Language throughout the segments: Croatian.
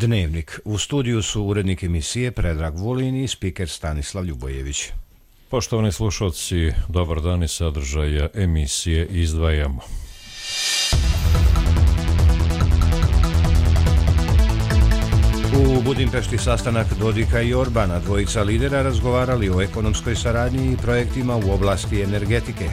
Dnevnik. U studiju su urednik emisije Predrag Vulin i spiker Stanislav Ljubojević. Poštovani slušalci, dobar dan, i sadržaja emisije izdvajamo. U Budimpešti sastanak Dodika i Orbana, dvojica lidera razgovarali o ekonomskoj saradnji i projektima u oblasti energetike.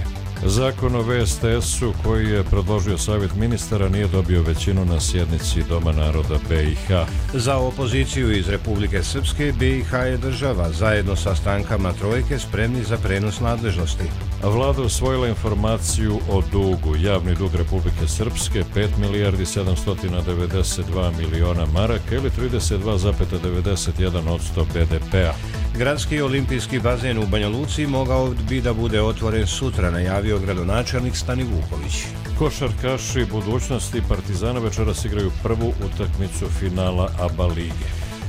Zakon o VSTS-u koji je predložio Savjet ministara nije dobio većinu na sjednici Doma naroda BiH. Za opoziciju iz Republike Srpske, BiH je država zajedno sa strankama trojke spremni za prenos nadležnosti. Vlada usvojila informaciju o dugu. Javni dug Republike Srpske 5 milijardi 792 miliona maraka ili 32,91% BDP-a. Gradski olimpijski bazen u Banja Luci mogao bi da bude otvoren sutra, najavio gradonačelnik Stani Vuković. Košarkaši budućnosti Partizana večeras igraju prvu utakmicu finala ABA lige.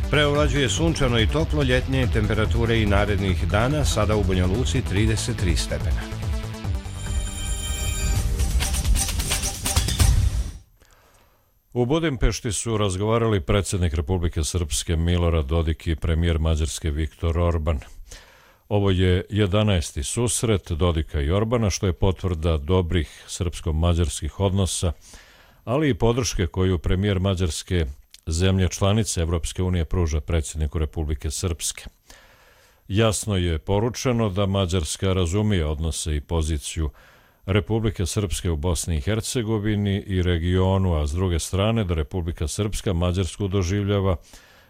Preovlađuje sunčano i toplo, ljetnje temperature i narednih dana, sada u Banja Luci 33 stepena. U Budimpešti su razgovarali predsjednik Republike Srpske Milorad Dodik i premijer Mađarske Viktor Orban. Ovo je 11. susret Dodika i Orbana, što je potvrda dobrih srpsko-mađarskih odnosa, ali i podrške koju premijer Mađarske, zemlje članice Evropske unije, pruža predsjedniku Republike Srpske. Jasno je poručeno da Mađarska razumije odnose i poziciju Republike Srpske u Bosni i Hercegovini i regionu, a s druge strane da Republika Srpska Mađarsku doživljava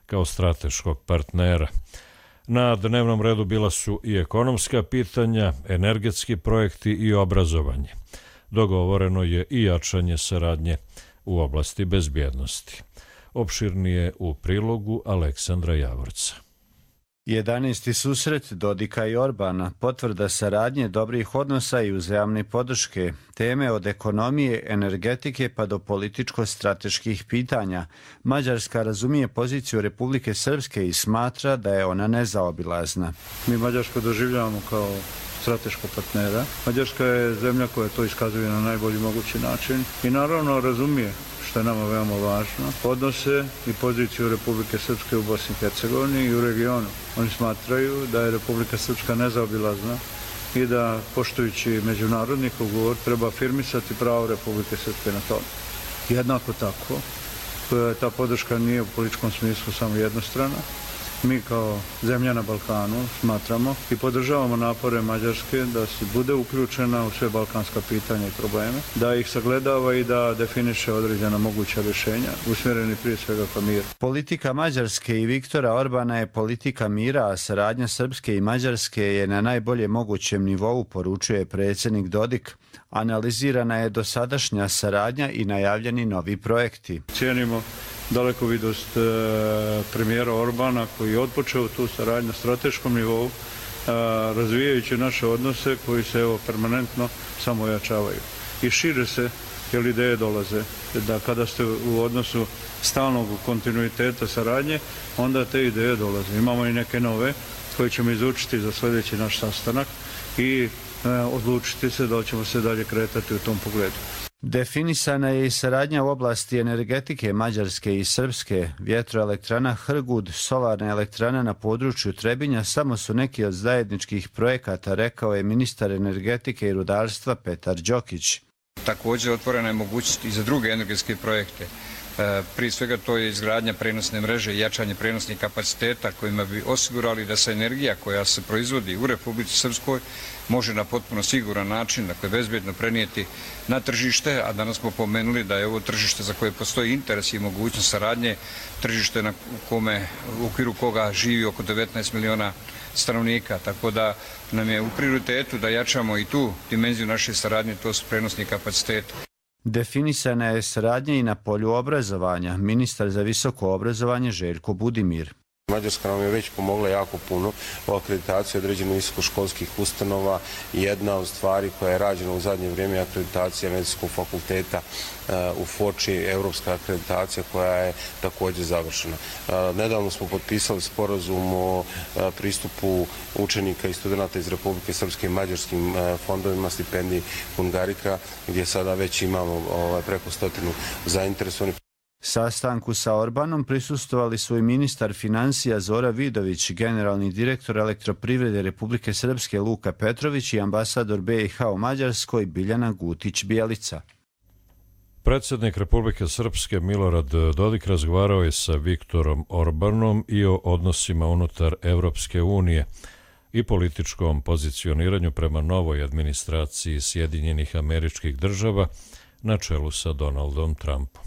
kao strateškog partnera. Na dnevnom redu bila su i ekonomska pitanja, energetski projekti i obrazovanje. Dogovoreno je i jačanje saradnje u oblasti bezbjednosti. Opširnije u prilogu Aleksandra Javorca. 11. susret Dodika i Orbana, potvrda saradnje, dobrih odnosa i uzajamne podrške, teme od ekonomije, energetike pa do političko-strateških pitanja. Mađarska razumije poziciju Republike Srpske i smatra da je ona nezaobilazna. Mi Mađarsku doživljavamo kao strateškog partnera. Mađarska je zemlja koja to iskazuje na najbolji mogući način i naravno razumije, što je nama veoma važno, odnose i poziciju Republike Srpske u Bosni i Hercegovini i u regionu. Oni smatraju da je Republika Srpska nezaobilazna i da, poštujući međunarodni ugovor, treba afirmisati pravo Republike Srpske na to. Jednako tako, ta podrška nije u političkom smislu samo jednostrana. Mi kao zemlja na Balkanu smatramo i podržavamo napore Mađarske da se bude uključena u sve balkanska pitanja i probleme, da ih sagledava i da definiše određena moguća rješenja, usmjereni prije svega ka miru. Politika Mađarske i Viktora Orbana je politika mira, a saradnja Srpske i Mađarske je na najbolje mogućem nivou, poručuje predsjednik Dodik. Analizirana je dosadašnja saradnja i najavljeni novi projekti. Cijenimo dalekovidost premijera Orbana koji je odpočeo tu saradnju na strateškom nivou, razvijajući naše odnose koji se permanentno samo ojačavaju. I šire se, jer ideje dolaze, da kada ste u odnosu stalnog kontinuiteta saradnje, onda te ideje dolaze. Imamo i neke nove koje ćemo izučiti za sljedeći naš sastanak i odlučiti se da ćemo se dalje kretati u tom pogledu. Definisana je i saradnja u oblasti energetike Mađarske i Srpske. Vjetroelektrana Hrgud, solarna elektrana na području Trebinja samo su neki od zajedničkih projekata, rekao je ministar energetike i rudarstva Petar Đokić. Također otvorena je mogućnost i za druge energetske projekte. Prije svega to je izgradnja prenosne mreže i jačanje prenosnih kapaciteta kojima bi osigurali da se energija koja se proizvodi u Republici Srpskoj može na potpuno siguran način, dakle bezbjedno prenijeti na tržište, a danas smo pomenuli da je ovo tržište za koje postoji interes i mogućnost saradnje, tržište u okviru koga živi oko 19 miliona stanovnika, tako da nam je u prioritetu da jačamo i tu dimenziju naše saradnje, to su prenosni kapaciteti. Definisana je saradnja i na polju obrazovanja. Ministar za visoko obrazovanje Željko Budimir. Mađarska nam je već pomogla jako puno u akreditaciji određenih visokoškolskih ustanova. Jedna od stvari koja je rađena u zadnje vrijeme je akreditacija medicinskog fakulteta u Foči, europska akreditacija koja je također završena. Nedavno smo potpisali sporazum o pristupu učenika i studenta iz Republike Srpske i mađarskim fondovima stipendiji Hungarika, gdje sada već imamo preko 100 zainteresovanih. Sastanku sa Orbanom prisustvovali su i ministar financija Zora Vidović, generalni direktor Elektroprivrede Republike Srpske Luka Petrović i ambasador BiH u Mađarskoj Biljana Gutić-Bjelica. Predsjednik Republike Srpske Milorad Dodik razgovarao je sa Viktorom Orbanom i o odnosima unutar Evropske unije i političkom pozicioniranju prema novoj administraciji Sjedinjenih Američkih Država na čelu sa Donaldom Trumpom.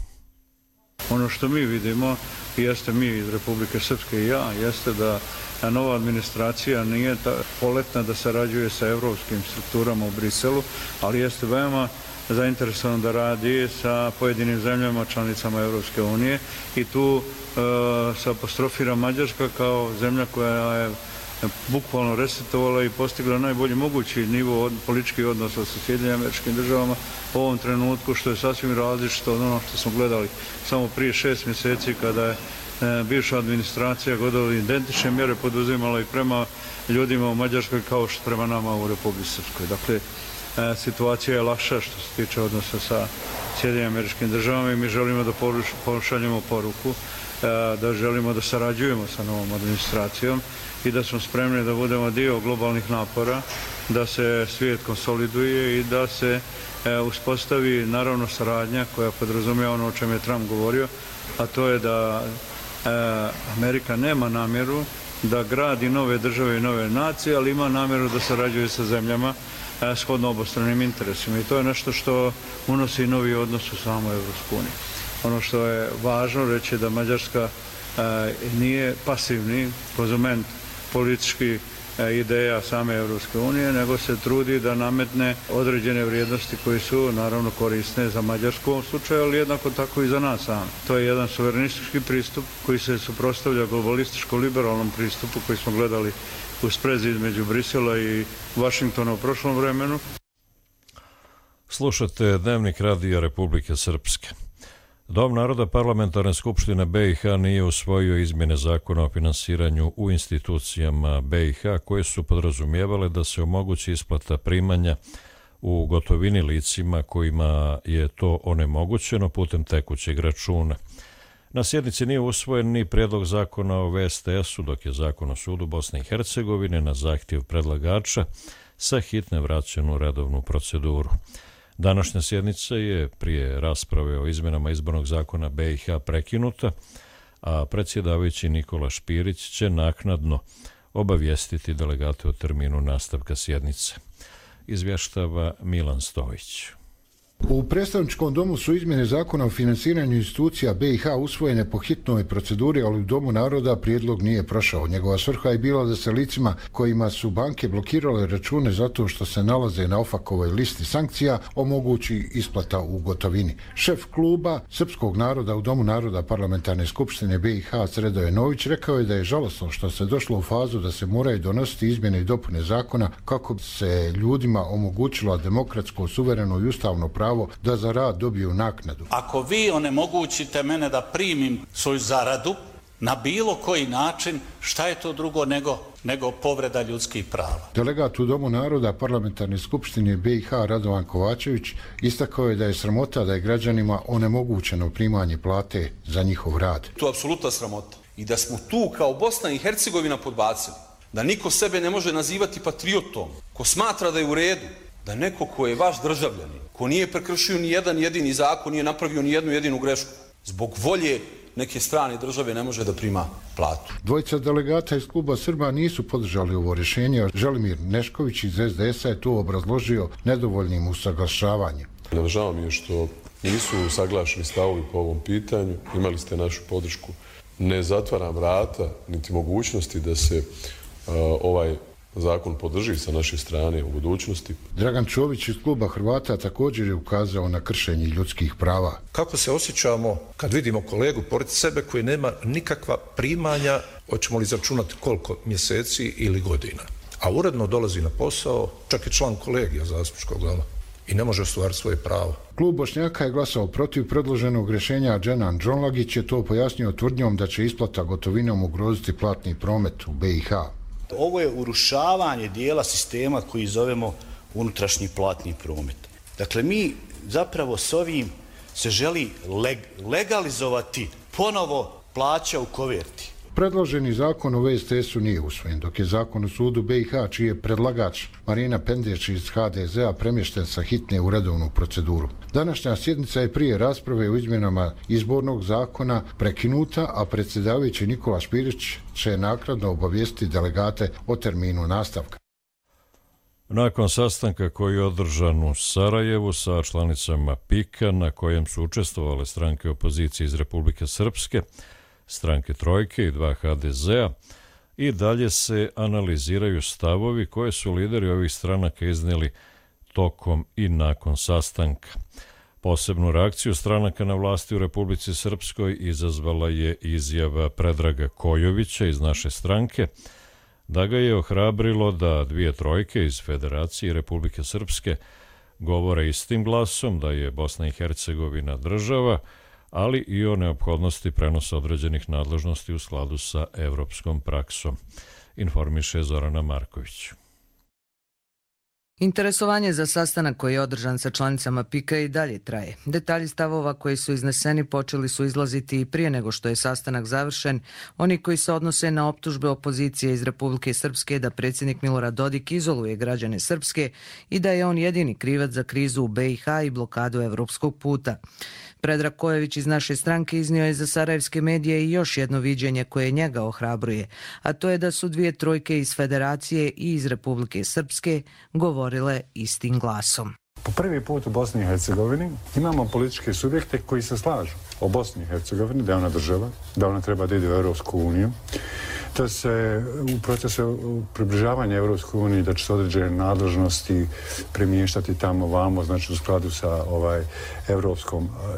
Ono što mi vidimo, jeste mi iz Republike Srpske i ja, jeste da nova administracija nije poletna da sarađuje sa evropskim strukturama u Briselu, ali jeste veoma zainteresovan da radi sa pojedinim zemljama članicama Evropske unije i tu se apostrofira Mađarska kao zemlja koja je bukvalno resetovala i postigla najbolji mogući nivo političkih odnosa sa Sjedinjenim Američkim Državama u ovom trenutku, što je sasvim različito od ono što smo gledali samo prije 6 mjeseci kada je bivša administracija gotovo identične mjere poduzimala i prema ljudima u Mađarskoj kao što prema nama u Republici Srpskoj. Dakle, situacija je lakša što se tiče odnosa sa Sjedinjenim Američkim Državama i mi želimo da pošaljemo poruku da želimo da sarađujemo sa novom administracijom i da smo spremni da budemo dio globalnih napora, da se svijet konsoliduje i da se uspostavi naravno saradnja koja podrazumijeva ono o čem je Trump govorio, a to je da Amerika nema namjeru da gradi nove države i nove nacije, ali ima namjeru da sarađuje sa zemljama shodno obostranim interesima i to je nešto što unosi novi odnos u samoj Evropskoj uniji. Ono što je važno reći je da Mađarska nije pasivni konzument političkih ideja same Evropske unije, nego se trudi da nametne određene vrijednosti koje su naravno korisne za Mađarsku u ovom slučaju, ali jednako tako i za nas sami. To je jedan suverenistički pristup koji se suprotstavlja globalističko-liberalnom pristupu koji smo gledali u sprezi između Brisela i Vašingtona u prošlom vremenu. Slušate Dnevnik radija Republike Srpske. Dom naroda Parlamentarne skupštine BiH nije usvojio izmjene zakona o finansiranju u institucijama BiH koje su podrazumijevale da se omogući isplata primanja u gotovini licima kojima je to onemogućeno putem tekućeg računa. Na sjednici nije usvojen ni prijedlog zakona o VSTS-u, dok je zakon o sudu Bosne i Hercegovine na zahtjev predlagača sa hitne vraćen u redovnu proceduru. Današnja sjednica je prije rasprave o izmjenama izbornog zakona BiH prekinuta, a predsjedavajući Nikola Špirić će naknadno obavijestiti delegate o terminu nastavka sjednice. Izvještava Milan Stojić. U predstavničkom domu su izmjene zakona o financiranju institucija BiH usvojene po hitnoj proceduri, ali u Domu naroda prijedlog nije prošao. Njegova svrha je bila da se licima kojima su banke blokirale račune zato što se nalaze na OFAC-ovoj listi sankcija omogući isplata u gotovini. Šef kluba Srpskog naroda u Domu naroda Parlamentarne skupštine BiH Sredoje Nović rekao je da je žalosno što se došlo u fazu da se moraju donositi izmjene i dopune zakona kako bi se ljudima omogućilo demokratsko, suvereno i ustavno pravo da za rad dobiju naknadu. Ako vi onemogućite mene da primim svoju zaradu na bilo koji način, šta je to drugo nego povreda ljudskih prava? Delegat u Domu naroda Parlamentarne skupštine BiH Radovan Kovačević istakao je da je sramota da je građanima onemogućeno primanje plate za njihov rad. To je apsolutna sramota. I da smo tu kao Bosna i Hercegovina podbacili, da niko sebe ne može nazivati patriotom, ko smatra da je u redu, da neko ko je vaš državljanin, ko nije prekršio ni jedan jedini zakon, nije napravio ni jednu jedinu grešku, zbog volje neke strane države ne može da prima platu. Dvojica delegata iz kluba Srba nisu podržali ovo rješenje. Želimir Nešković iz SDS-a je to obrazložio nedovoljnim usaglašavanjem. Žao mi je što nisu usaglašeni stavovi po ovom pitanju. Imali ste našu podršku. Ne zatvaram vrata niti mogućnosti da se ovaj zakon podrži sa naše strane u budućnosti. Dragan Čović iz kluba Hrvata također je ukazao na kršenje ljudskih prava. Kako se osjećamo kad vidimo kolegu pored sebe koji nema nikakva primanja, hoćemo li izračunati koliko mjeseci ili godina, a uredno dolazi na posao, čak i član kolegija zastupničkog doma i ne može ostvariti svoje pravo. Klub Bošnjaka je glasao protiv predloženog rješenja. Dženan Džonlagić je to pojasnio tvrdnjom da će isplata gotovinom ugroziti platni promet u BiH. Ovo je urušavanje dijela sistema koji zovemo unutrašnji platni promet. Dakle, mi zapravo s ovim se želi legalizovati ponovo plaća u koverti. Predloženi zakon o VSTS-u nije usvojen, dok je zakon o sudu BiH, čiji je predlagač Marina Pendeć iz HDZ-a premješten sa hitne u redovnu proceduru. Današnja sjednica je prije rasprave o izmjenama izbornog zakona prekinuta, a predsjedavajući Nikola Špirić će naknadno obavijestiti delegate o terminu nastavka. Nakon sastanka koji je održan u Sarajevu sa članicama PIK-a, na kojem su učestvovale stranke opozicije iz Republike Srpske, stranke Trojke i 2 HDZ-a, i dalje se analiziraju stavovi koje su lideri ovih stranaka iznijeli tokom i nakon sastanka. Posebnu reakciju stranaka na vlasti u Republici Srpskoj izazvala je izjava Predraga Kojovića iz naše stranke, da ga je ohrabrilo da 2 trojke iz Federacije Republike Srpske govore istim glasom da je Bosna i Hercegovina država, ali i o neophodnosti prenosa određenih nadležnosti u skladu sa evropskom praksom, informiše Zorana Marković. Interesovanje za sastanak koji je održan sa članicama PIK-a i dalje traje. Detalji stavova koji su izneseni počeli su izlaziti i prije nego što je sastanak završen. Oni koji se odnose na optužbe opozicije iz Republike Srpske da predsjednik Milorad Dodik izoluje građane Srpske i da je on jedini krivac za krizu u BiH i blokadu evropskog puta. Predrag Kojović iz naše stranke iznio je za sarajevske medije i još jedno viđenje koje njega ohrabruje, a to je da su 2 trojke iz Federacije i iz Republike Srpske govorile istim glasom. Po prvi put u Bosni i Hercegovini imamo političke subjekte koji se slažu o Bosni i Hercegovini, da je ona država, da ona treba da ide u Europsku uniju, da se u procesu približavanja Europskoj uniji da će se određene nadležnosti premještati tamo vamo, znači u skladu sa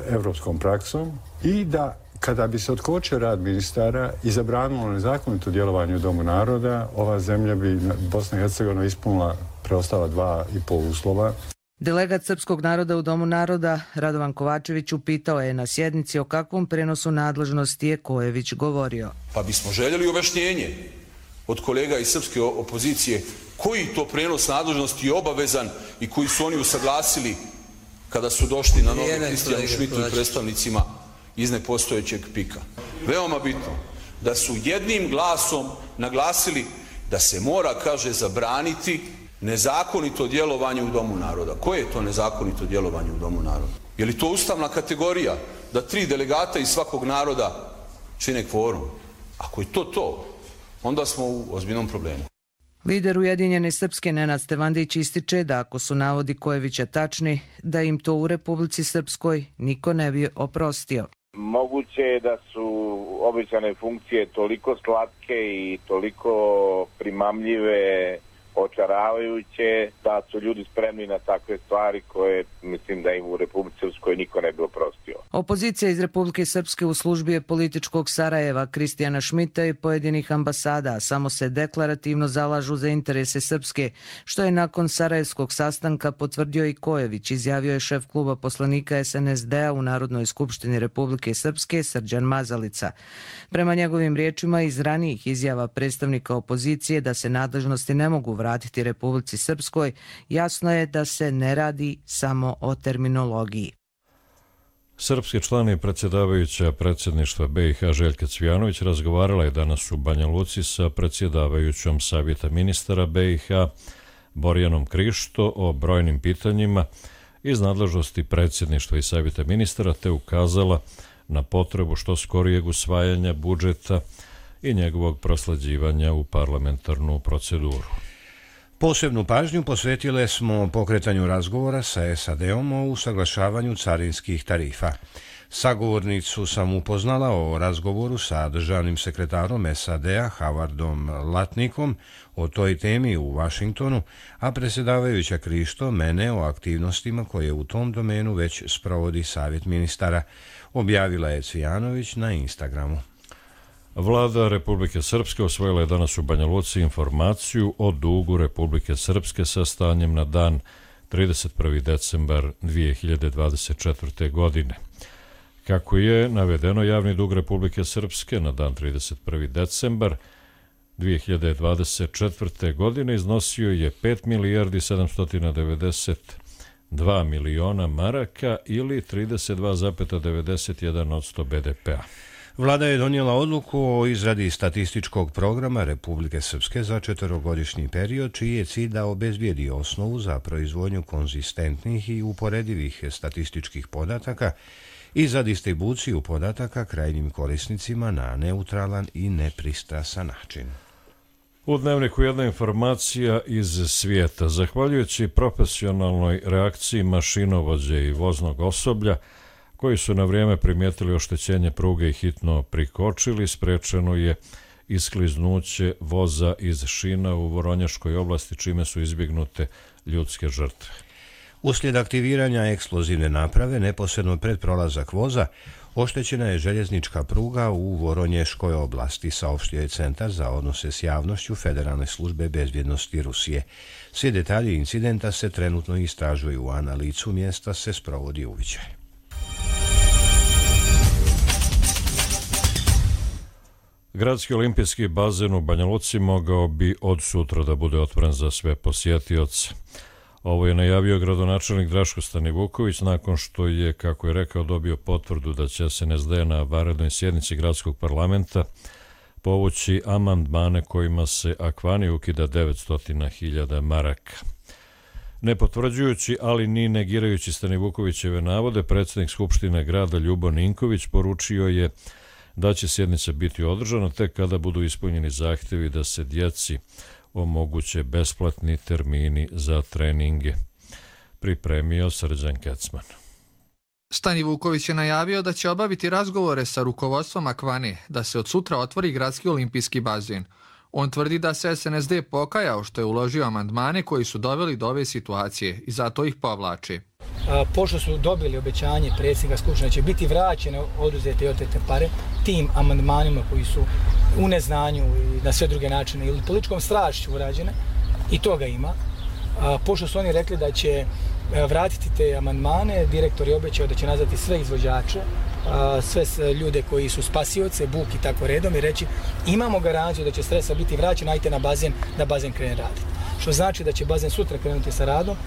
evropskom praksom, i da kada bi se otkočio rad ministara i zabranilo nezakonito djelovanje u Domu naroda, ova zemlja bi, Bosna i Hercegovina, ispunila preostala 2,5 uslova. Delegat srpskog naroda u Domu naroda Radovan Kovačević upitao je na sjednici o kakvom prenosu nadležnosti je Kojević govorio. Pa bismo željeli objašnjenje od kolega iz srpske opozicije koji to prenos nadležnosti je obavezan i koji su oni usaglasili kada su došli na noge Kristijanu Šmitu i predstavnicima iz nepostojećeg PIK-a. Veoma bitno da su jednim glasom naglasili da se mora, kaže, zabraniti nezakonito djelovanje u Domu naroda. Koje je to nezakonito djelovanje u Domu naroda? Je li to ustavna kategorija da 3 delegata iz svakog naroda čine kvorum? Ako je to, onda smo u ozbiljnom problemu. Lider Ujedinjene Srpske Nenad Stevandić ističe da ako su navodi Kojevića tačni, da im to u Republici Srpskoj niko ne bi oprostio. Moguće je da su obećane funkcije toliko slatke i toliko primamljive, očaravajuće, da su ljudi spremni na takve stvari koje mislim da im u Republici Srpskoj niko ne bi oprostio. Opozicija iz Republike Srpske u službi je političkog Sarajeva, Kristijana Šmita i pojedinih ambasada samo se deklarativno zalažu za interese Srpske, što je nakon sarajevskog sastanka potvrdio i Kojević, izjavio je šef kluba poslanika SNSD-a u Narodnoj skupštini Republike Srpske Srđan Mazalica. Prema njegovim riječima, iz ranijih izjava predstavnika opozicije da se nadležnosti ne mogu vratiti Republici Srpskoj, jasno je da se ne radi samo o terminologiji. Srpski član i predsjedavajuća predsjedništva BiH Željka Cvijanović razgovarala je danas u Banja Luci sa predsjedavajućom Savjeta ministara BiH Borjanom Krišto o brojnim pitanjima iz nadležnosti predsjedništva i Savjeta ministara, te ukazala na potrebu što skorijeg usvajanja budžeta i njegovog prosleđivanja u parlamentarnu proceduru. Posebnu pažnju posvetile smo pokretanju razgovora sa SAD-om o usaglašavanju carinskih tarifa. Sagovornicu sam upoznala o razgovoru sa državnim sekretarom SAD-a Howardom Latnikom o toj temi u Vašingtonu, a predsjedavajuća Krišto mene o aktivnostima koje u tom domenu već sprovodi Savjet ministara, objavila je Cvijanović na Instagramu. Vlada Republike Srpske osvojila je danas u Banja Luci informaciju o dugu Republike Srpske sa stanjem na dan 31. decembar 2024. godine. Kako je navedeno, javni dug Republike Srpske na dan 31. decembar 2024. godine iznosio je 5 milijardi 790 2 miliona maraka ili 32,91% BDP-a. Vlada je donijela odluku o izradi statističkog programa Republike Srpske za 4-godišnji period, čiji je cilj da obezbijedi osnovu za proizvodnju konzistentnih i uporedivih statističkih podataka i za distribuciju podataka krajnjim korisnicima na neutralan i nepristrasan način. U Dnevniku jedna informacija iz svijeta. Zahvaljujući profesionalnoj reakciji mašinovođe i voznog osoblja, koji su na vrijeme primijetili oštećenje pruge i hitno prikočili, sprečeno je iskliznuće voza iz šina u Voronjaškoj oblasti, čime su izbjegnute ljudske žrtve. Uslijed aktiviranja eksplozivne naprave, neposredno pred prolazak voza, oštećena je željeznička pruga u Voronješkoj oblasti, saopštio je Centar za odnose s javnošću Federalne službe bezbjednosti Rusije. Svi detalji incidenta se trenutno istražuju, a na licu mjesta se sprovodi uviđaj. Gradski olimpijski bazen u Banja Luci mogao bi od sutra da bude otvoren za sve posjetioce. Ovo je najavio gradonačelnik Draško Stanivuković nakon što je, kako je rekao, dobio potvrdu da će SNSD na vanrednoj sjednici gradskog parlamenta povući amandmane kojima se Akvani ukida 900.000 maraka. Ne potvrđujući, ali ni negirajući Stanivukovićeve navode, predsjednik Skupštine grada Ljubo Ninković poručio je da će sjednica biti održana tek kada budu ispunjeni zahtjevi da se djeci omoguće besplatni termini za treninge. Pripremio Srđan Kecman. Stanivuković je najavio da će obaviti razgovore sa rukovodstvom Akvane da se od sutra otvori gradski olimpijski bazen. On tvrdi da se SNSD pokajao što je uložio amandmane koji su doveli do ove situacije i zato ih povlače. Pošto su dobili obećanje predsjednika Skupštine da će biti vraćene oduzete i otete pare tim amandmanima koji su u neznanju i na sve druge načine ili političkom strašću urađene, i toga ima. Pošto su oni rekli da će vratiti te amandmane, direktor je obećao da će nazvati sve izvođače, sve ljude koji su spasioce, Buk i tako redom, i reći imamo garanciju da će sredstva biti vraćena, ajte na bazen, da bazen krene raditi. Što znači da će bazen sutra krenuti sa radom.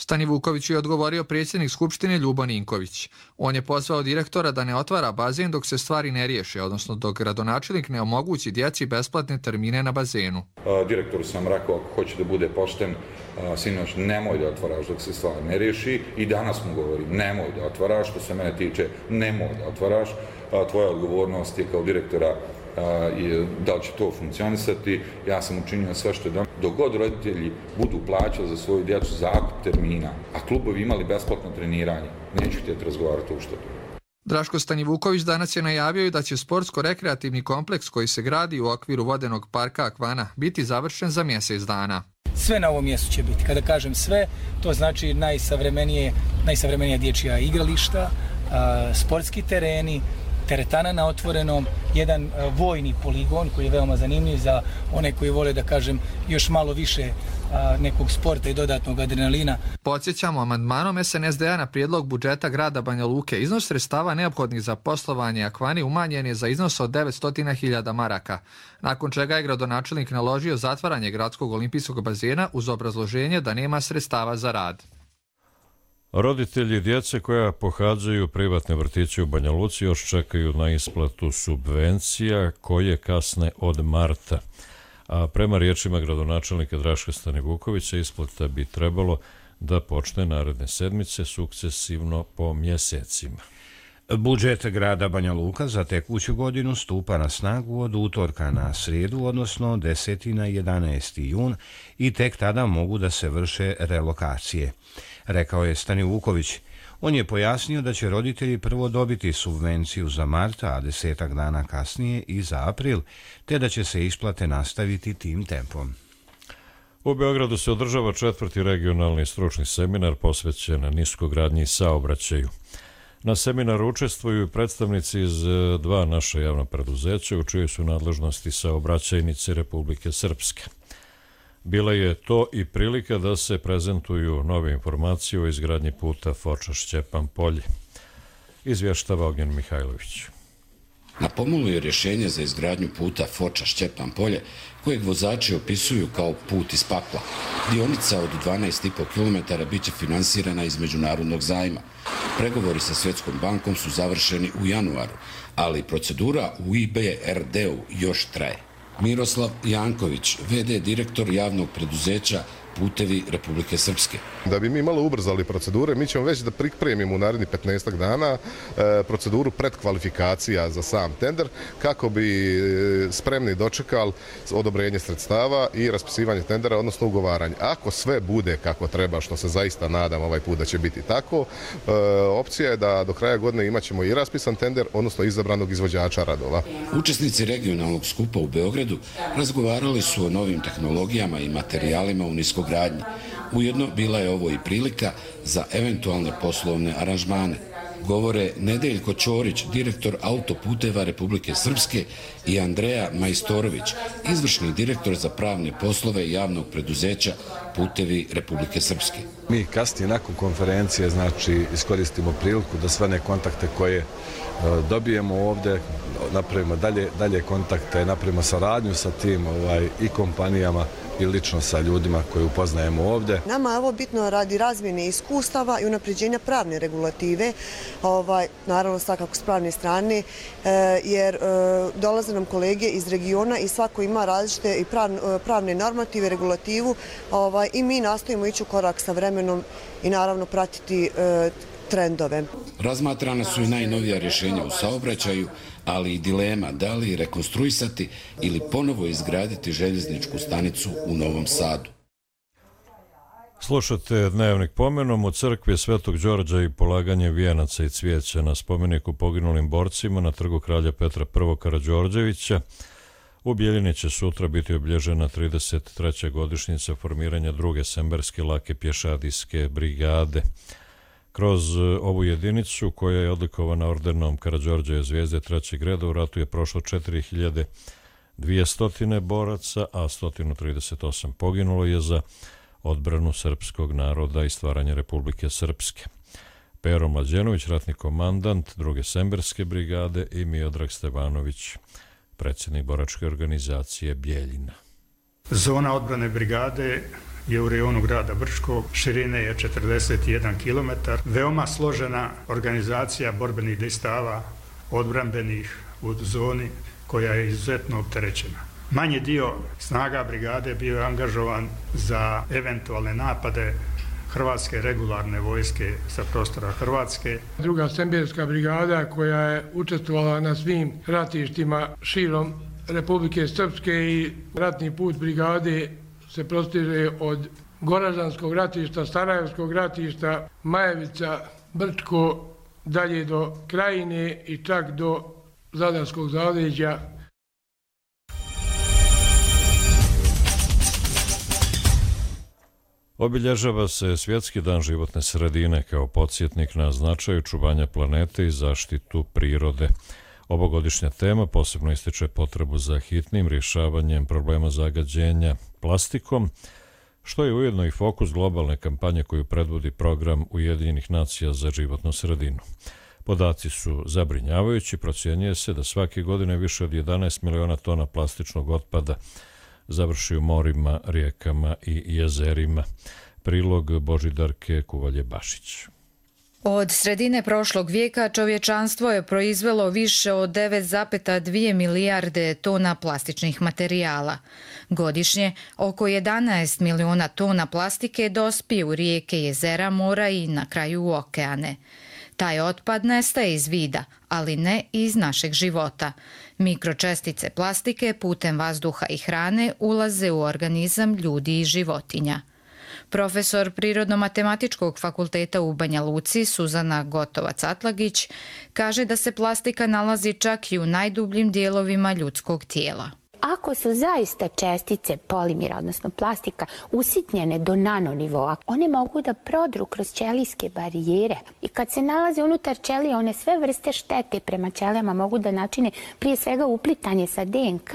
Stanivuković je odgovorio predsjednik Skupštine Ljubo Ninković. On je pozvao direktora da ne otvara bazen dok se stvari ne riješe, odnosno dok gradonačelnik ne omogući djeci besplatne termine na bazenu. Direktoru sam rekao, ako hoće da bude pošten, sinoć, nemoj da otvaraš dok se stvar ne riješi, i danas mu govorim, nemoj da otvaraš, što se mene tiče, nemoj da otvaraš, tvoja odgovornost je kao direktora da li će to funkcionisati. Ja sam učinio sve što je da. Dok god roditelji budu plaćali za svoju djecu zakup termina, a klubovi imali besplatno treniranje, neću htjeti razgovarati o uštedu. Draško Stanivuković danas je najavio i da će sportsko-rekreativni kompleks koji se gradi u okviru vodenog parka Akvana biti završen za mjesec dana. Sve na ovom mjestu će biti. Kada kažem sve, to znači najsavremenija dječja igrališta, sportski tereni, teretana na otvorenom, jedan vojni poligon koji je veoma zanimljiv za one koji vole, da kažem, još malo više nekog sporta i dodatnog adrenalina. Podsjećamo, amandmanom SNSD-a na prijedlog budžeta grada Banja Luke iznos sredstava neophodnih za poslovanje Akvani umanjen je za iznos od 900.000 maraka, nakon čega je gradonačelnik naložio zatvaranje gradskog olimpijskog bazena uz obrazloženje da nema sredstava za rad. Roditelji djece koja pohađaju privatne vrtiće u Banja Luci još čekaju na isplatu subvencija koje kasne od marta. A prema riječima gradonačelnika Draška Stanivukovića, isplata bi trebalo da počne naredne sedmice sukcesivno po mjesecima. Budžet grada Banja Luka za tekuću godinu stupa na snagu od utorka na srijedu, odnosno 10. na 11. jun, i tek tada mogu da se vrše relokacije, rekao je Stanivuković. On je pojasnio da će roditelji prvo dobiti subvenciju za mart, a 10 dana kasnije i za april, te da će se isplate nastaviti tim tempom. U Beogradu se održava 4. regionalni stručni seminar posvećen niskogradnji i saobraćaju. Na seminaru učestvuju predstavnici iz 2 naša javna preduzeća u čijoj su nadležnosti saobraćajnice Republike Srpske. Bila je to i prilika da se prezentuju nove informacije o izgradnji puta Foča-Šćepan-Polje. Izvještava Ognjen Mihajlović. Na pomolu je rješenje za izgradnju puta Foča-Šćepan polje, kojeg vozači opisuju kao put iz pakla. Dionica od 12,5 km bit će finansirana iz međunarodnog zajma. Pregovori sa Svjetskom bankom su završeni u januaru, ali procedura u IBRD-u još traje. Miroslav Janković, VD direktor javnog preduzeća Putevi Republike Srpske. Da bi mi malo ubrzali procedure, mi ćemo već da pripremimo u narednih 15 dana proceduru predkvalifikacija za sam tender, kako bi spremni dočekali odobrenje sredstava i raspisivanje tendera, odnosno ugovaranje. Ako sve bude kako treba, što se zaista nadam ovaj put da će biti tako, opcija je da do kraja godine imat ćemo i raspisan tender, odnosno izabranog izvođača radova. Učesnici regionalnog skupa u Beogradu razgovarali su o novim tehnologijama i materijalima u niskogradnji. Ujedno bila je ovo i prilika za eventualne poslovne aranžmane. Govore Nedeljko Ćorić, direktor Autoputeva Republike Srpske, i Andreja Majstorović, izvršni direktor za pravne poslove javnog preduzeća Putevi Republike Srpske. Mi kasnije nakon konferencije iskoristimo priliku da sve one kontakte koje dobijemo ovdje, napravimo dalje kontakte, napravimo saradnju sa tim i kompanijama i lično sa ljudima koje upoznajemo ovdje. Nama je ovo bitno radi razmjene iskustava i unapređenja pravne regulative, naravno svakako s pravne strane, jer dolaze nam kolege iz regiona i svako ima različite i pravne normative, regulativu, i mi nastojimo ići u korak sa vremenom i naravno pratiti trendove. Razmatrana su i najnovija rješenja u saobraćaju, ali i dilema da li rekonstruisati ili ponovo izgraditi željezničku stanicu u Novom Sadu. Slušate Dnevnik pomenom u crkvi Svetog Đorđa i polaganje vijenaca i cvijeća na spomeniku poginulim borcima na trgu kralja Petra I. Karađorđevića. U Bjeljini će sutra biti obilježena 33. godišnjica formiranja druge semberske lake pješadijske brigade. Kroz ovu jedinicu, koja je odlikovana ordenom Karađorđeve zvijezde 3. reda, u ratu je prošlo 4200 boraca, a 138 poginulo je za odbranu srpskog naroda i stvaranje Republike Srpske. Pero Mlađenović, ratni komandant druge semberske brigade, i Miodrag Stevanović, predsjednik boračke organizacije Bjeljina. Zona odbrane brigade je u rejonu grada Brčkog, širine je 41 km, veoma složena organizacija borbenih dejstava odbrambenih u zoni koja je izuzetno opterećena. Manji dio snaga brigade bio je angažovan za eventualne napade Hrvatske regularne vojske sa prostora Hrvatske. Druga semberska brigada koja je učestvovala na svim ratištima širom Republike Srpske i ratni put brigade se prostiže od Goražanskog ratišta, Sarajevskog ratišta, Majevica, Brčko, dalje do Krajine i čak do Zadarskog zaleđa. Obilježava se Svjetski dan životne sredine kao podsjetnik na značaj čuvanja planete i zaštitu prirode. Ovogodišnja tema posebno ističe potrebu za hitnim rješavanjem problema zagađenja plastikom, što je ujedno i fokus globalne kampanje koju predvodi program Ujedinjenih nacija za životnu sredinu. Podaci su zabrinjavajući, procjenjuje se da svake godine više od 11 miliona tona plastičnog otpada završi u morima, rijekama i jezerima. Prilog Božidarke Kuvalje-Bašić. Od sredine prošlog vijeka čovječanstvo je proizvelo više od 9,2 milijarde tona plastičnih materijala. Godišnje oko 11 miliona tona plastike dospije u rijeke, jezera, mora i na kraju u okeane. Taj otpad nestaje iz vida, ali ne iz našeg života. Mikročestice plastike putem vazduha i hrane ulaze u organizam ljudi i životinja. Profesor Prirodno-matematičkog fakulteta u Banja Luci Suzana Gotovac-Atlagić kaže da se plastika nalazi čak i u najdubljim dijelovima ljudskog tijela. Ako su zaista čestice polimera, odnosno plastika, usitnjene do nanonivoa, one mogu da prodru kroz ćelijske barijere. I kad se nalaze unutar ćelije, one sve vrste štete prema ćelijama mogu da načine prije svega uplitanje sa DNK.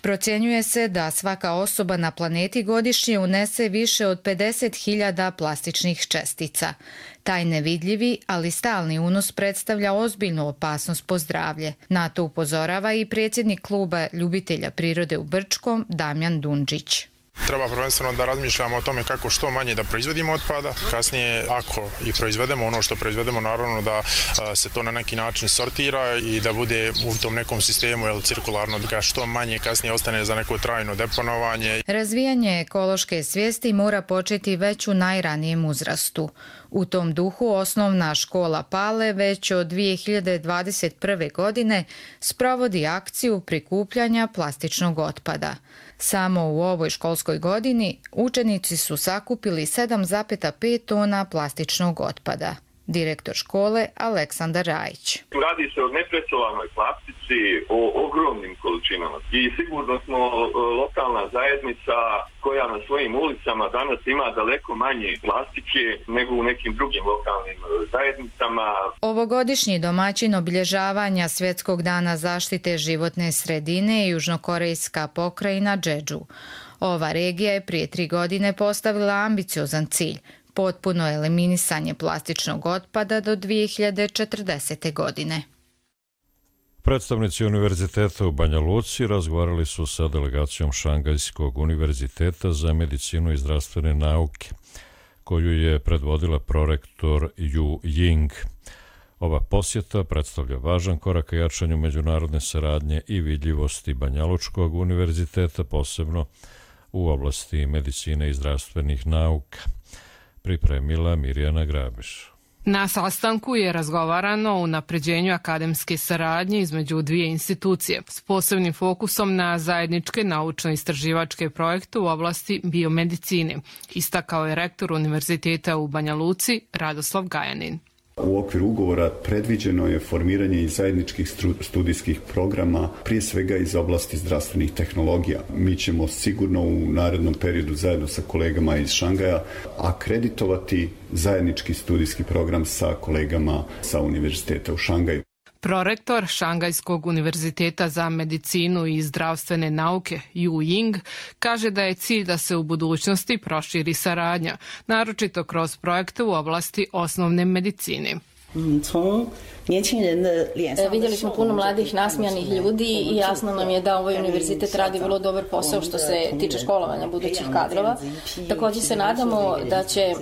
Procjenjuje se da svaka osoba na planeti godišnje unese više od 50.000 plastičnih čestica. Taj nevidljivi, ali stalni unos predstavlja ozbiljnu opasnost po zdravlje. Na to upozorava i predsjednik kluba ljubitelja prirode u Brčkom, Damjan Dundžić. Treba prvenstveno da razmišljamo o tome kako što manje da proizvodimo otpada. Kasnije, ako i proizvedemo ono što proizvedemo, naravno da se to na neki način sortira i da bude u tom nekom sistemu cirkularno, da što manje kasnije ostane za neko trajno deponovanje. Razvijanje ekološke svijesti mora početi već u najranijem uzrastu. U tom duhu osnovna škola Pale već od 2021. godine sprovodi akciju prikupljanja plastičnog otpada. Samo u ovoj školskoj godini učenici su sakupili 7,5 tona plastičnog otpada. Direktor škole Aleksandar Rajić. Radi se o nepresovanoj plastici, o ogromnim količinama i sigurno smo lokalna zajednica koja na svojim ulicama danas ima daleko manje plastike nego u nekim drugim lokalnim zajednicama. Ovogodišnji domaćin obilježavanja Svjetskog dana zaštite životne sredine je južnokorejska pokrajina Jeju. Ova regija je prije 3 godine postavila ambiciozan cilj – potpuno eliminisanje plastičnog otpada do 2040. godine. Predstavnici Univerziteta u Banja Luci razgovarali su sa delegacijom Šangajskog univerziteta za medicinu i zdravstvene nauke, koju je predvodila prorektor Yu Ying. Ova posjeta predstavlja važan korak ka jačanju međunarodne saradnje i vidljivosti Banjalučkog univerziteta, posebno u oblasti medicine i zdravstvenih nauka. Pripremila Mirjana Grabiš. Na sastanku je razgovarano o unapređenju akademske saradnje između dvije institucije s posebnim fokusom na zajedničke naučno-istraživačke projekte u oblasti biomedicine, istakao je rektor Univerziteta u Banja Luci Radoslav Gajanin. U okviru ugovora predviđeno je formiranje i zajedničkih studijskih programa, prije svega iz oblasti zdravstvenih tehnologija. Mi ćemo sigurno u narednom periodu zajedno sa kolegama iz Šangaja akreditovati zajednički studijski program sa kolegama sa Univerziteta u Šangaju. Prorektor Šangajskog univerziteta za medicinu i zdravstvene nauke Yu Ying kaže da je cilj da se u budućnosti proširi saradnja, naročito kroz projekte u oblasti osnovne medicine. Vidjeli smo puno mladih nasmijanih ljudi i jasno nam je da ovaj univerzitet radi vrlo dobar posao što se tiče školovanja budućih kadrova. Također se nadamo da će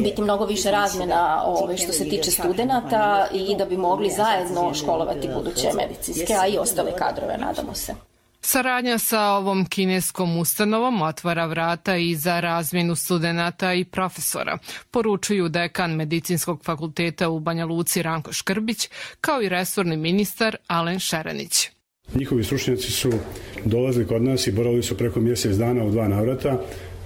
biti mnogo više razmjena što se tiče studenata i da bi mogli zajedno školovati buduće medicinske, a i ostale kadrove, nadamo se. Saradnja sa ovom kineskom ustanovom otvara vrata i za razmjenu studenata i profesora, poručuju dekan Medicinskog fakulteta u Banja Luci Ranko Škrbić, kao i resorni ministar Alen Šerenić. Njihovi stručnjaci su dolazili kod nas i boravili su preko mjesec dana u 2 navrata.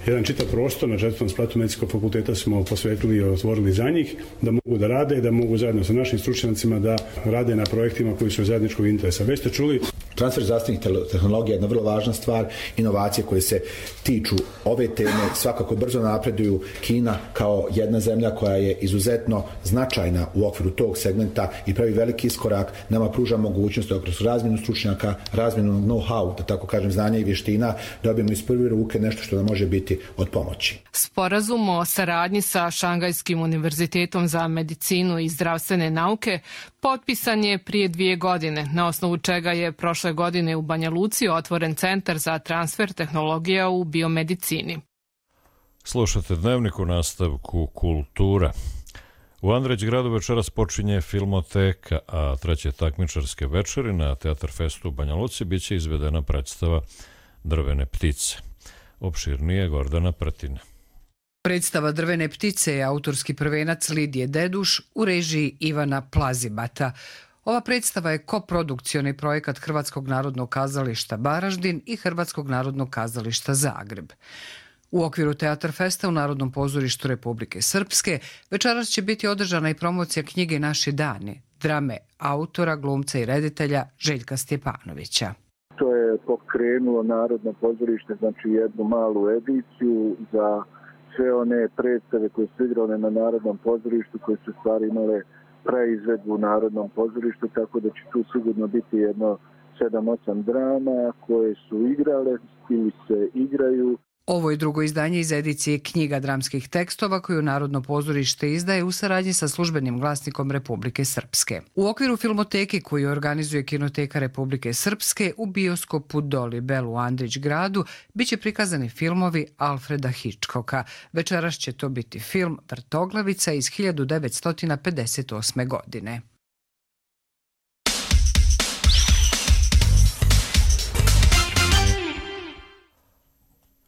Jedan čitav prostor na 4. spratu Medicinskog fakulteta smo posvetili i otvorili za njih, da mogu da rade i da mogu zajedno sa našim stručnjacima da rade na projektima koji su zajedničkog interesa. Već ste čuli, transfer zdravstvenih tehnologija je jedna vrlo važna stvar, inovacije koje se tiču ove teme svakako brzo napreduju. Kina kao jedna zemlja koja je izuzetno značajna u okviru tog segmenta i pravi veliki iskorak, nama pruža mogućnost da kroz razmjenu stručnjaka, razmjenu know-how, da tako kažem, znanja i vještina, dobijemo iz prve ruke nešto što nam može biti od pomoći. Sporazum o saradnji sa Šangajskim univerzitetom za medicinu i zdravstvene nauke potpisan je prije 2 godine, na osnovu čega je prošle godine u Banja Luci otvoren centar za transfer tehnologija u biomedicini. Slušate Dnevnik, u nastavku kultura. U Andreć gradu večeras počinje Filmoteka, a 3. takmičarske večeri na Teatar Festu u Banja Luci biće izvedena predstava Drvene ptice. Opširnije Gordana Pratina. Predstava Drvene ptice je autorski prvenac Lidije Deduš u režiji Ivana Plazibata. Ova predstava je koprodukcioni projekat Hrvatskog narodnog kazališta Varaždin i Hrvatskog narodnog kazališta Zagreb. U okviru Teatar Festa u Narodnom pozorištu Republike Srpske večeras će biti održana i promocija knjige Naši dani, drame autora, glumca i reditelja Željka Stjepanovića. To je pokrenulo Narodno pozorište, znači jednu malu ediciju za sve one predstave koje su igrane na Narodnom pozorištu, koje su stvari imale preizvedbu u Narodnom pozorištu, tako da će tu sigurno biti jedno 7-8 drama koje su igrale ili se igraju. Ovo je drugo izdanje iz edicije knjiga dramskih tekstova koju Narodno pozorište izdaje u saradnji sa Službenim glasnikom Republike Srpske. U okviru filmoteke koju organizuje Kinoteka Republike Srpske u bioskopu Dolibel u Andrić gradu biće prikazani filmovi Alfreda Hitchcocka. Večeras će to biti film Vrtoglavica iz 1958. godine.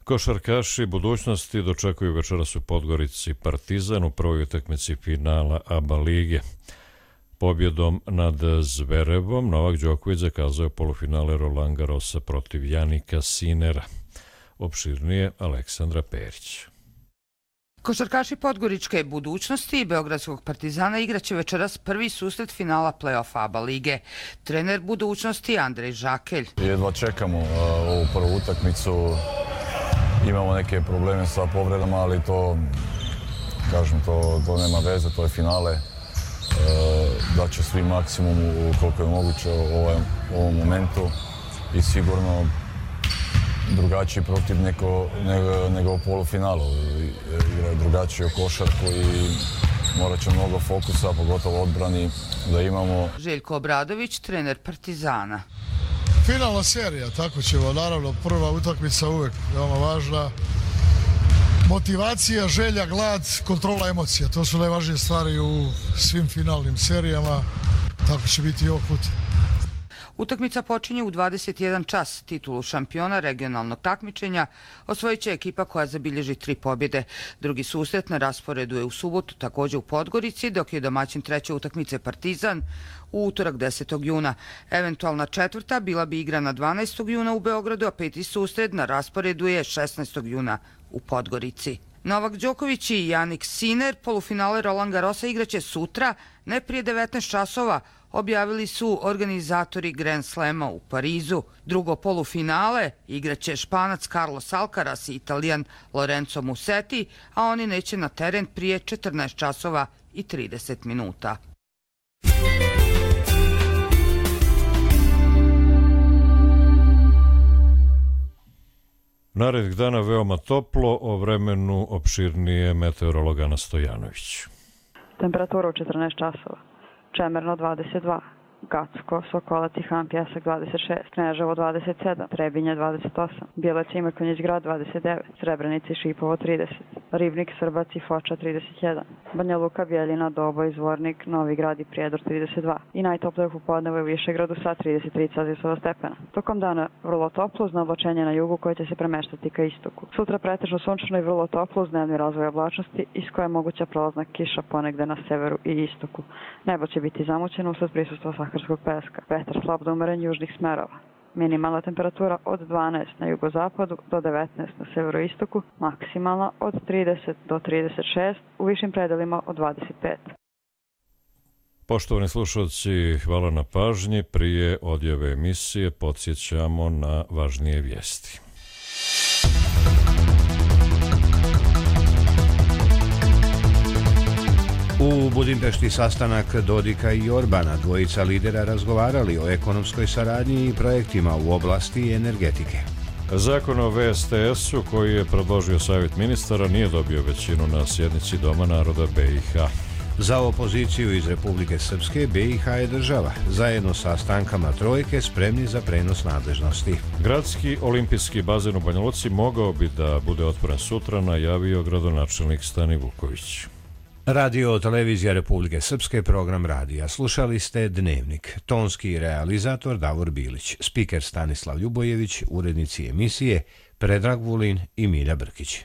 Košarkaši budućnosti dočekuju večeras u Podgorici Partizan u prvoj utakmici finala ABA lige. Pobjedom nad Zverevom Novak Đoković zakazao polufinale Roland Garrosa protiv Janika Sinera. Opširnije Aleksandra Perić. Košarkaši Podgoričke budućnosti i Beogradskog Partizana igraće večeras prvi susret finala play-off ABA lige. Trener budućnosti Andrej Žakelj. Jedva čekamo ovu prvu utakmicu. Imamo neke probleme sa povredama, ali to nema veze, to je finale. Da će svi maksimum koliko je moguće u ovom momentu i sigurno drugačiji protiv nego u polufinalu. Igraju drugačiju košarku i morat će mnogo fokusa, pogotovo odbrani da imamo. Željko Obradović, trener Partizana. Finalna serija, tako ćemo, naravno prva utakmica uvek veoma važna. Motivacija, želja, glad, kontrola emocija, to su najvažnije stvari u svim finalnim serijama, tako će biti i ovog puta. Utakmica počinje u 21 čas. Titulu šampiona regionalnog takmičenja osvojit će ekipa koja zabilježi 3 pobjede. Drugi susret na rasporedu je u subotu također u Podgorici, dok je domaćin treće utakmice Partizan u utorak 10. juna. Eventualna četvrta bila bi igrana 12. juna u Beogradu, a peti susret na rasporedu je 16. juna u Podgorici. Novak Đoković i Janik Siner polufinale Roland Garrosa igraće sutra, ne prije 19 časova, objavili su organizatori Grand Slema u Parizu. Drugo polufinale igraće Španac Carlos Alcaraz i Italijan Lorenzo Musetti, a oni neće na teren prije 14 časova i 30 minuta. Narednih dana veoma toplo, o vremenu opširnije meteorolog Ana Stojanović. Temperatura u 14 časova. Čemerno 22, Gacko, Sokolac i Han Pjesak 26, Kneževo 27, Trebinje 28, Bjelec i Mrkonjić grad 29, Srebrenica i Šipovo 30, Ribnik, Srbac i Foča 31, Banja Luka, Bjeljina, Doboj, Zvornik, Novi Grad i Prijedor 32 i najtoplije u popodnevu je u Višegradu sa 33 Celzijusova stepena. Tokom dana vrlo toplo uz oblačenje na jugu koje će se premeštati ka istoku. Sutra pretežno sunčano i vrlo toplo uz dnevni razvoj oblačnosti iz koje je moguća prolazna kiša ponegde na severu i istoku. Nebo će biti zamućeno usled prisustva saharskog peska. Vetar slab do umeren južnih smerova. Minimalna temperatura od 12 na jugozapadu do 19 na severoistoku, maksimalna od 30 do 36, u višim predelima od 25. Poštovani slušalci, hvala na pažnji. Prije odjave emisije podsjećamo na važnije vijesti. U Budimpešti sastanak Dodika i Orbana, dvojica lidera razgovarali o ekonomskoj saradnji i projektima u oblasti energetike. Zakon o VSTS-u koji je predložio Savjet ministara nije dobio većinu na sjednici Doma naroda BiH. Za opoziciju iz Republike Srpske BiH je država, zajedno sa stankama trojke spremni za prenos nadležnosti. Gradski olimpijski bazen u Banja Luci mogao bi da bude otvoren sutra, najavio gradonačelnik Stani Vuković. Radio televizija Republike Srpske, program radija. Slušali ste Dnevnik. Tonski realizator Davor Bilić, spiker Stanislav Ljubojević, urednici emisije Predrag Vulin i Milja Brkić.